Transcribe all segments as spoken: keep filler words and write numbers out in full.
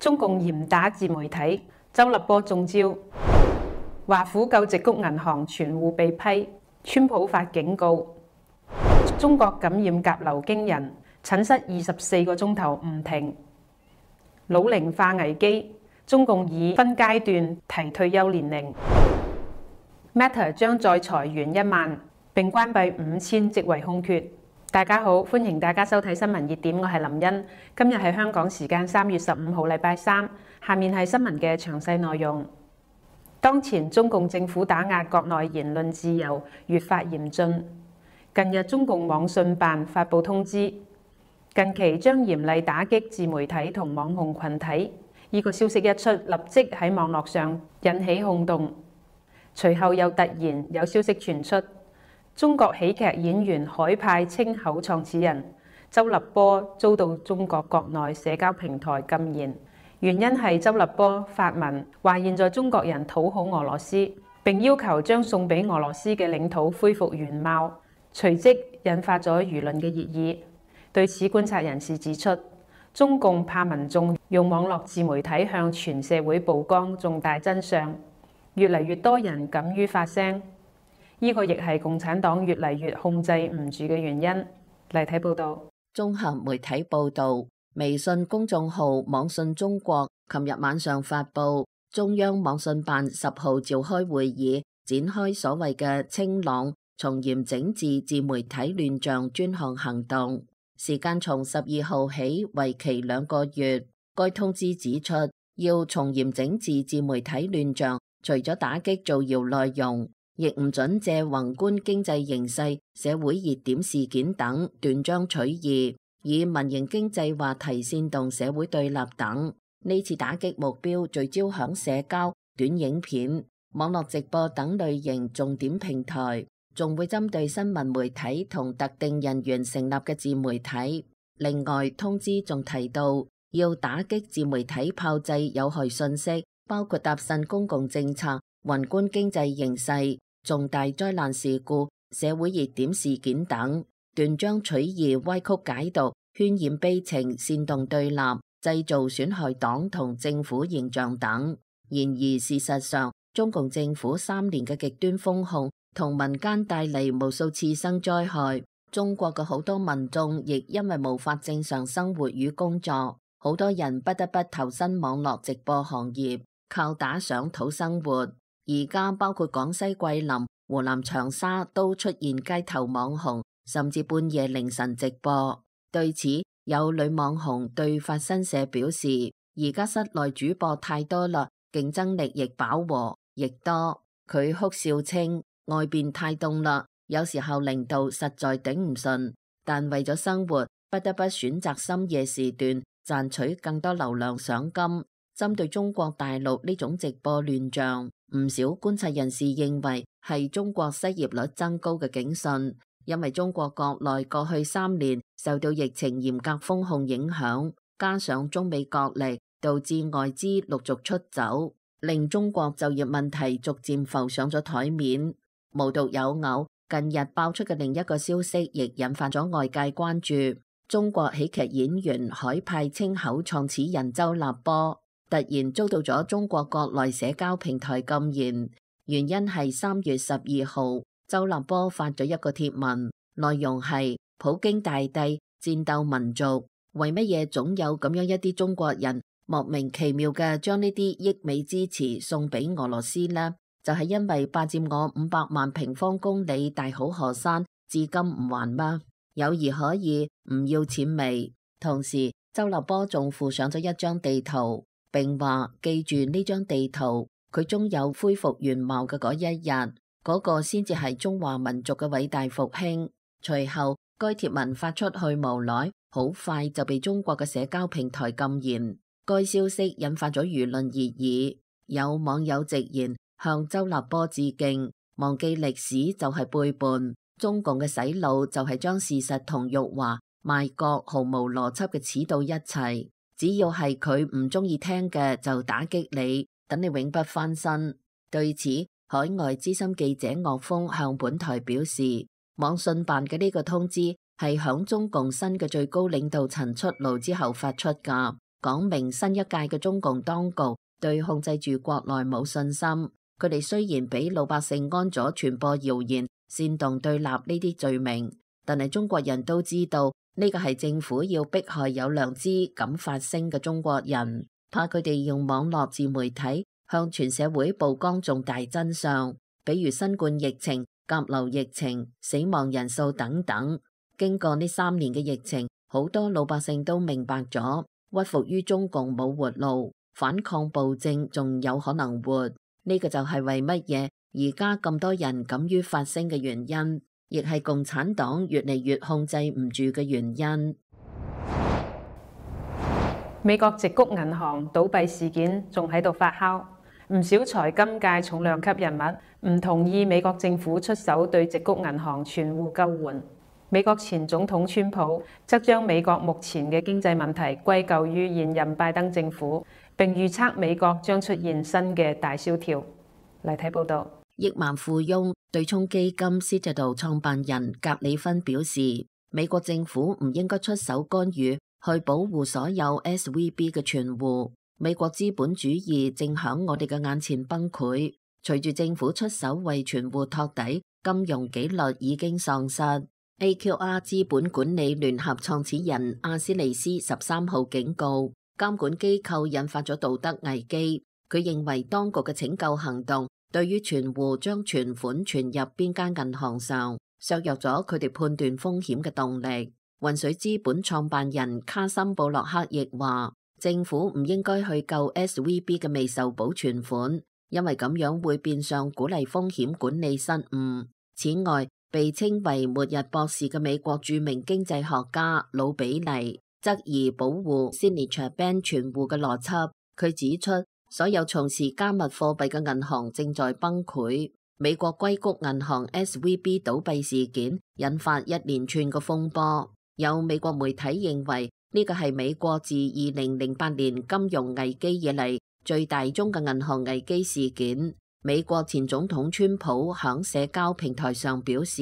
中共嚴打自媒體，周立波中招。華府救矽谷銀行存戶被批，川普發警告。中國感染甲流驚人，診室二十四個鐘頭唔停。老齡化危機，中共已分階段提退休年齡。Meta 將再裁員一萬，並關閉五千職位空缺。大家好，歡迎大家收睇新聞熱點，我係林茵。今日係香港時間三月十五號，禮拜三。下面係新聞嘅詳細內容。當前中共政府打壓國內言論自由越發嚴峻。近日，中共網信辦發布通知，近期將嚴厲打擊自媒體同網紅群體。呢個消息一出，立即喺網絡上引起轟動。隨後又突然有消息傳出，中國喜劇演員海派清口創始人周立波遭到中國國內社交平台禁言，原因係周立波發文話現在中國人討好俄羅斯，並要求將送俾俄羅斯嘅領土恢復原貌，隨即引發咗輿論嘅熱議。對此，觀察人士指出，中共怕民眾用網絡自媒體向全社會曝光重大真相，越嚟越多人敢於發聲。呢個亦係共產黨越嚟越控制唔住嘅原因。嚟睇報道。綜合媒體報道，微信公眾號網信中國琴日晚上發布，中央網信辦十號召開會議，展開所謂嘅清朗、從嚴整治自媒體亂象專項行動，時間從十二號起，為期兩個月。該通知指出，要從嚴整治自媒體亂象，除咗打擊造謠內容，亦唔准借宏觀經濟形勢、社會熱點事件等斷章取義，以民營經濟話題煽動社會對立等。呢次打擊目標聚焦響社交、短影片、網絡直播等類型重點平台，仲會針對新聞媒體同特定人員成立嘅自媒體。另外，通知仲提到要打擊自媒體炮製有害信息，包括搭訕公共政策、宏觀經濟形勢、重大災難事故、社會熱點事件等，斷章取義、歪曲解讀、渲染悲情、煽動對立、製造損害黨同政府形象等。然而事實上，中共政府三年嘅極端封控同民間帶嚟無數次生災害，中國嘅好多民眾亦因為無法正常生活與工作，好多人不得不投身網絡直播行業，靠打賞討生活。而家包括廣西桂林、湖南長沙都出現街頭網紅，甚至半夜凌晨直播。對此，有女網紅對法新社表示，而家室內主播太多啦，競爭力亦飽和，亦多。佢哭笑稱，外邊太凍啦，有時候零度實在頂唔順，但為咗生活，不得不選擇深夜時段，賺取更多流量賞金。針對中國大陸呢種直播亂象，唔少觀察人士認為係中國失業率增高嘅警訊，因為中國國內過去三年受到疫情嚴格封控影響，加上中美角力，導致外資陸續出走，令中國就業問題逐漸浮上咗台面。無獨有偶，近日爆出嘅另一個消息亦引發咗外界關注，中國喜劇演員海派清口創始人周立波突然遭到咗中國國內社交平台禁言，原因係三月十二號，周立波發咗一個貼文，內容係普京大帝戰鬥民族，為乜嘢總有咁樣一啲中國人莫名其妙嘅將呢啲溢美之詞送俾俄羅斯呢？就係、是、因為霸佔我五百萬平方公里大好河山，至今唔還嗎？友誼可以，唔要錢未？同時，周立波仲附上咗一張地圖，並話記住呢張地圖，佢終有恢復原貌嘅嗰一日，嗰、那個先至係中華民族嘅偉大復興。隨後，該貼文發出去無耐，好快就被中國嘅社交平台禁言。該消息引發咗輿論熱議，有網友直言向周立波致敬，忘記歷史就係背叛，中共嘅洗腦就係將事實同辱華、賣國毫無邏輯嘅扯到一齊。只要係佢唔中意聽嘅就打擊你，等你永不翻身。對此，海外資深記者岳峰向本台表示，網信辦嘅呢個通知係響中共新嘅最高領導層出爐之後發出噶，講明新一屆嘅中共當局對控制住國內冇信心。佢哋雖然俾老百姓安咗傳播謠言、煽動對立呢啲罪名，但係中國人都知道呢個係政府要迫害有良知、敢發聲嘅中國人，怕佢哋用網絡自媒體向全社會曝光重大真相，比如新冠疫情、甲流疫情、死亡人數等等。經過呢三年嘅疫情，好多老百姓都明白咗，屈服於中共冇活路，反抗暴政仲有可能活。呢個就係為乜嘢而家咁多人敢於發聲嘅原因，亦係共產黨越嚟越控制唔住嘅原因。美國矽谷銀行倒閉事件仲喺度發酵，唔少財金界重量級人物唔同意美國政府出手對矽谷銀行全戶救援。美國前總統川普則將美國目前嘅經濟問題歸咎於現任拜登政府，並預測美國將出現新嘅大蕭條。嚟睇報道。億萬富翁對沖基金獅子島創辦人格里芬表示，美國政府唔應該出手干預去保護所有 S V B 嘅存戶。美國資本主義正響我哋嘅眼前崩潰，隨住政府出手為存戶托底，金融紀律已經喪失。A Q R 資本管理聯合創始人阿斯利斯十三號警告，監管機構引發咗道德危機。佢認為當局嘅拯救行動對於存戶將存款存入邊間銀行上，削弱咗佢哋判斷風險嘅動力。渾水資本創辦人卡森布洛克亦話，政府唔應該去救 S V B 嘅未受保存款，因為咁樣會變相鼓勵風險管理失誤。此外，被稱為末日博士嘅美國著名經濟學家魯比尼質疑保護 Signature Bank 存戶嘅邏輯。佢指出，所有從事加密貨幣嘅銀行正在崩潰。美國硅谷銀行 S V B 倒閉事件引發一連串嘅風波，有美國媒體認為呢個係美國自二零零八年金融危機以嚟最大宗嘅銀行危機事件。美國前總統川普響社交平台上表示，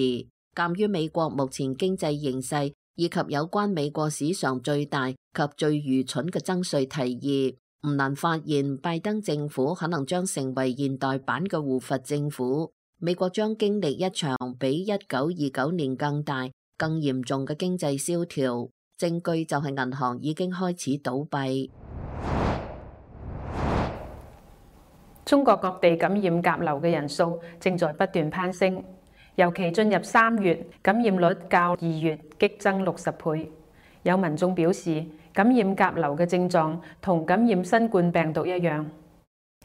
鑒於美國目前經濟形勢以及有關美國史上最大及最愚蠢嘅增稅提議，唔難發現拜登政府可能將成為現代版嘅護法政府。美國將經歷一場比一九二九年更大、更嚴重嘅經濟蕭條，證據就係銀行已經開始倒閉。中國各地感染甲流嘅人數正在不斷攀升，尤其進入三月，感染率較二月激增六十倍。有民眾表示，感染甲流嘅症狀同感染新冠病毒一樣。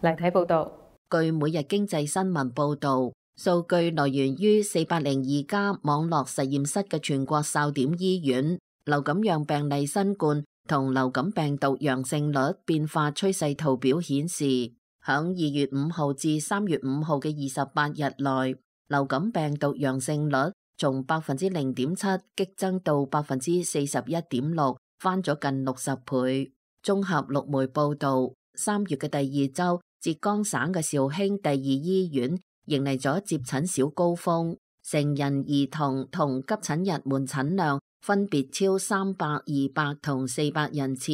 嚟睇報道。據每日經濟新聞報導，數據來源於四百零二家網絡實驗室嘅全國哨點醫院，流感樣病例新冠同流感病毒陽性率變化趨勢圖表顯示，響二月五號至三月五號嘅二十八日內，流感病毒陽性率從百分之零點七激增到百分之四十一點六，翻咗近六十倍。綜合陸媒報導，三月嘅第二週，浙江省嘅紹興第二醫院迎嚟咗接診小高峰，成人、兒童同急診日門診量分別超三百、二百同四百人次，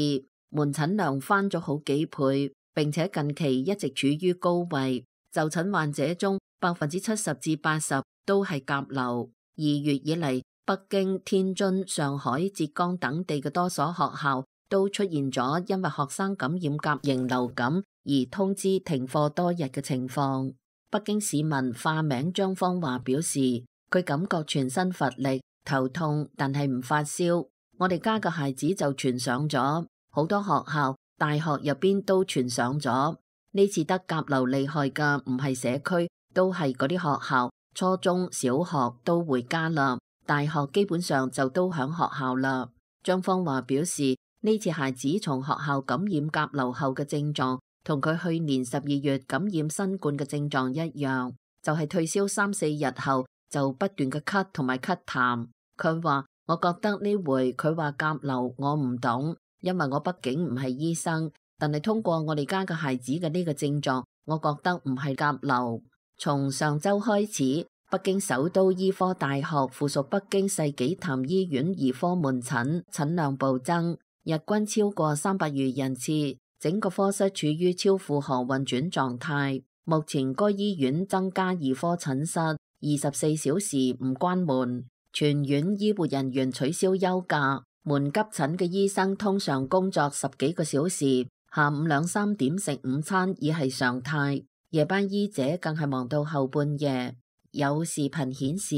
門診量翻咗好幾倍。並且近期一直處於高位，就診患者中百分之七十至八十都係甲流。二月以嚟，北京、天津、上海、浙江等地嘅多所學校都出現咗因為學生感染甲型流感而通知停課多日嘅情況。北京市民化名張芳華表示，佢感覺全身乏力、頭痛，但係唔發燒。我哋家嘅孩子就傳上咗，好多學校大學入邊都傳上咗。呢次得甲流厲害嘅唔係社區，都係嗰啲學校，初中小學都回家啦，大學基本上就都響學校啦。張芳華表示，呢次孩子從學校感染甲流後嘅症狀同佢去年十二月感染新冠嘅症狀一樣，就係退燒三四日後就不斷嘅咳同埋咳痰。佢話，我覺得呢回佢話甲流我唔懂，因為我畢竟唔係醫生，但係通過我哋家嘅孩子嘅呢個症狀，我覺得唔係甲流。從上周開始，北京首都醫科大學附屬北京世紀壇醫院兒科門診診量暴增，日均超過三百餘人次，整個科室處於超負荷運轉狀態。目前該醫院增加二科診室，二十四小時唔關門，全院醫護人員取消休假。門急診嘅醫生通常工作十幾個小時，下午兩三點食午餐已係常態。夜班醫者更係忙到後半夜。有視頻顯示，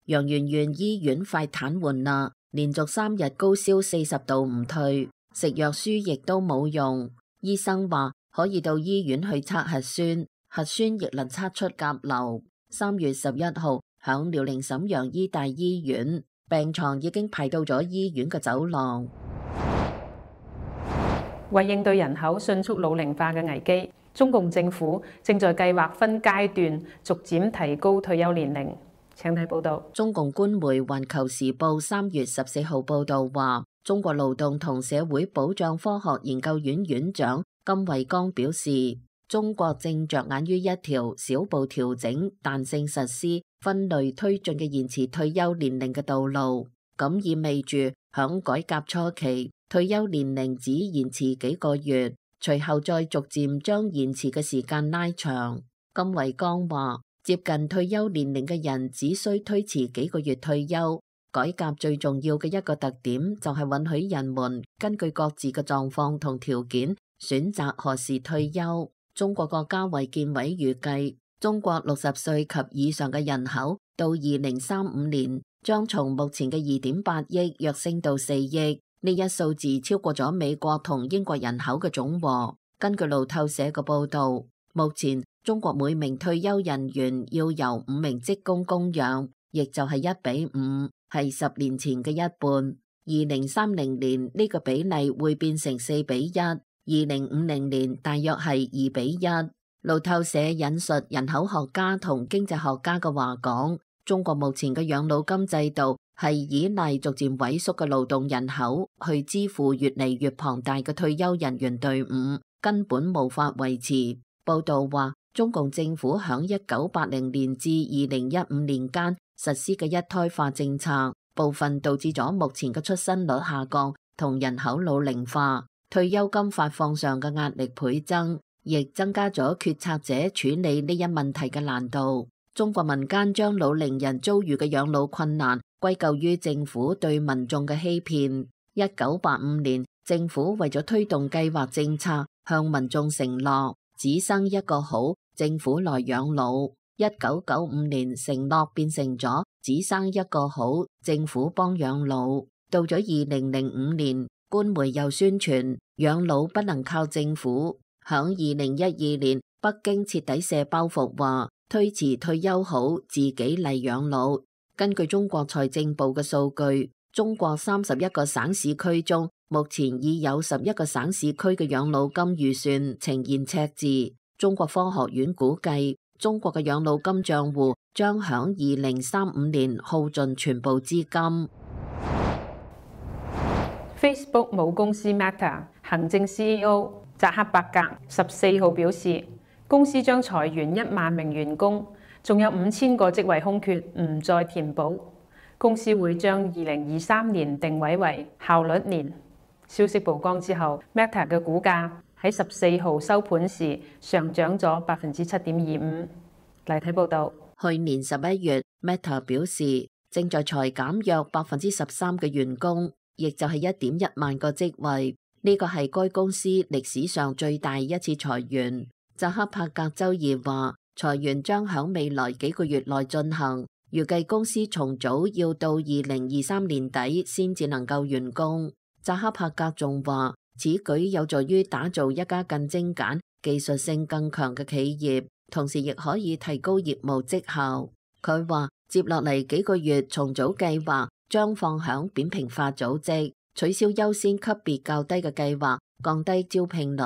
陽源縣醫院快癱瘓啦，連續三日高燒四十度唔退，食藥輸液都冇用。醫生話可以到醫院去測核酸，核酸亦能測出甲流。三月十一號，響遼寧瀋陽醫大醫院，病床已經排到咗醫院嘅走廊。為應對人口迅速老齡化嘅危機，中共政府正在計劃分階段逐漸提高退休年齡。請睇報道。中共官媒《環球時報》三月十四號報道話，中國勞動同社會保障科學研究院院長金維剛表示，中國正着眼於一條小步調整、彈性實施、分類推進嘅延遲退休年齡嘅道路。咁意味住響改革初期，退休年齡只延遲幾個月，隨後再逐漸將延遲嘅時間拉長。金維剛話，接近退休年齡嘅人只需推遲幾個月退休。改革最重要嘅一個特點就係允許人們根據各自嘅狀況同條件選擇何時退休。中國國家衛健委預計，中國六十歲及以上嘅人口到二零三五年將從目前嘅二點八億躍升到四億，呢一數字超過咗美國同英國人口嘅總和。根據路透社嘅報道，目前中國每名退休人員要由五名職工供養，亦就係一比五，係十年前嘅一半。二零三零年呢個比例會變成四比一，二零五零年大約係二比一。路透社引述人口學家同經濟學家嘅話講，中國目前嘅養老金制度係依賴逐漸萎縮嘅勞動人口去支付越嚟越龐大嘅退休人員隊伍，根本無法維持。報道話，中共政府響一九八零年至二零一五年間實施嘅一胎化政策，部分導致咗目前嘅出生率下降同人口老齡化，退休金發放上嘅壓力倍增，亦增加咗決策者處理呢一問題嘅難度。中國民間將老齡人遭遇嘅養老困難歸咎於政府對民眾嘅欺騙。一九八五年，政府為咗推動計劃政策，向民眾承諾只生一個好，政府來養老。一九九五年，承諾變成咗只生一個好，政府幫養老。到咗二零零五年，官媒又宣傳養老不能靠政府。響二零一二年，北京徹底卸包袱，話推遲退休好，自己嚟養老。根據中國財政部嘅數據，中國三十一個省市區中，目前已有十一個省市區嘅養老金預算呈現赤字。中國科學院估計，中國嘅養老金賬戶將響二零三五年耗盡全部資金。Facebook 母公司 Meta 行政 C E O 扎克伯格十四號表示，公司將裁員一萬名員工，仲有五千個職位空缺唔再填補。公司會將二零二三年定位為效率年。消息曝光之後 ，Meta 嘅股價喺十四號收盤時上漲咗百分之七點二五。嚟睇報道。去年十一月 ，Meta 表示正在裁減約百分之十三嘅員工，亦就係一點一萬個職位。呢個係該公司歷史上最大一次裁員。扎克伯格周二話，裁員將響未來幾個月內進行，預計公司重組要到二零二三年底先至能夠完工。扎克伯格仲話，此舉有助於打造一家更精簡、技術性更強嘅企業，同時亦可以提高業務績效。佢話，接落嚟幾個月重組計劃將放響扁平化組織，取消優先級別較低嘅計劃，降低招聘率。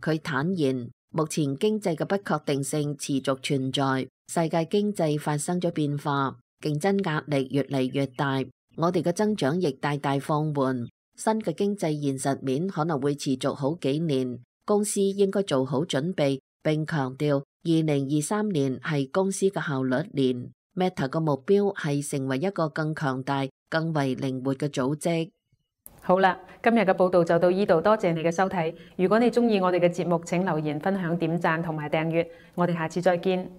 佢坦言，目前經濟嘅不確定性持續存在，世界經濟發生咗變化，競爭壓力越嚟越大，我哋嘅增長亦大大放緩。新嘅經濟現實面可能會持續好幾年，公司應該做好準備，並強調二零二三年係公司嘅效率年。Meta 嘅目標係成為一個更強大、更為靈活嘅組織。好啦，今日嘅報道就到呢度，多謝你嘅收睇。如果你鍾意我哋嘅節目，請留言、分享、點讚同埋訂閱。我哋下次再見。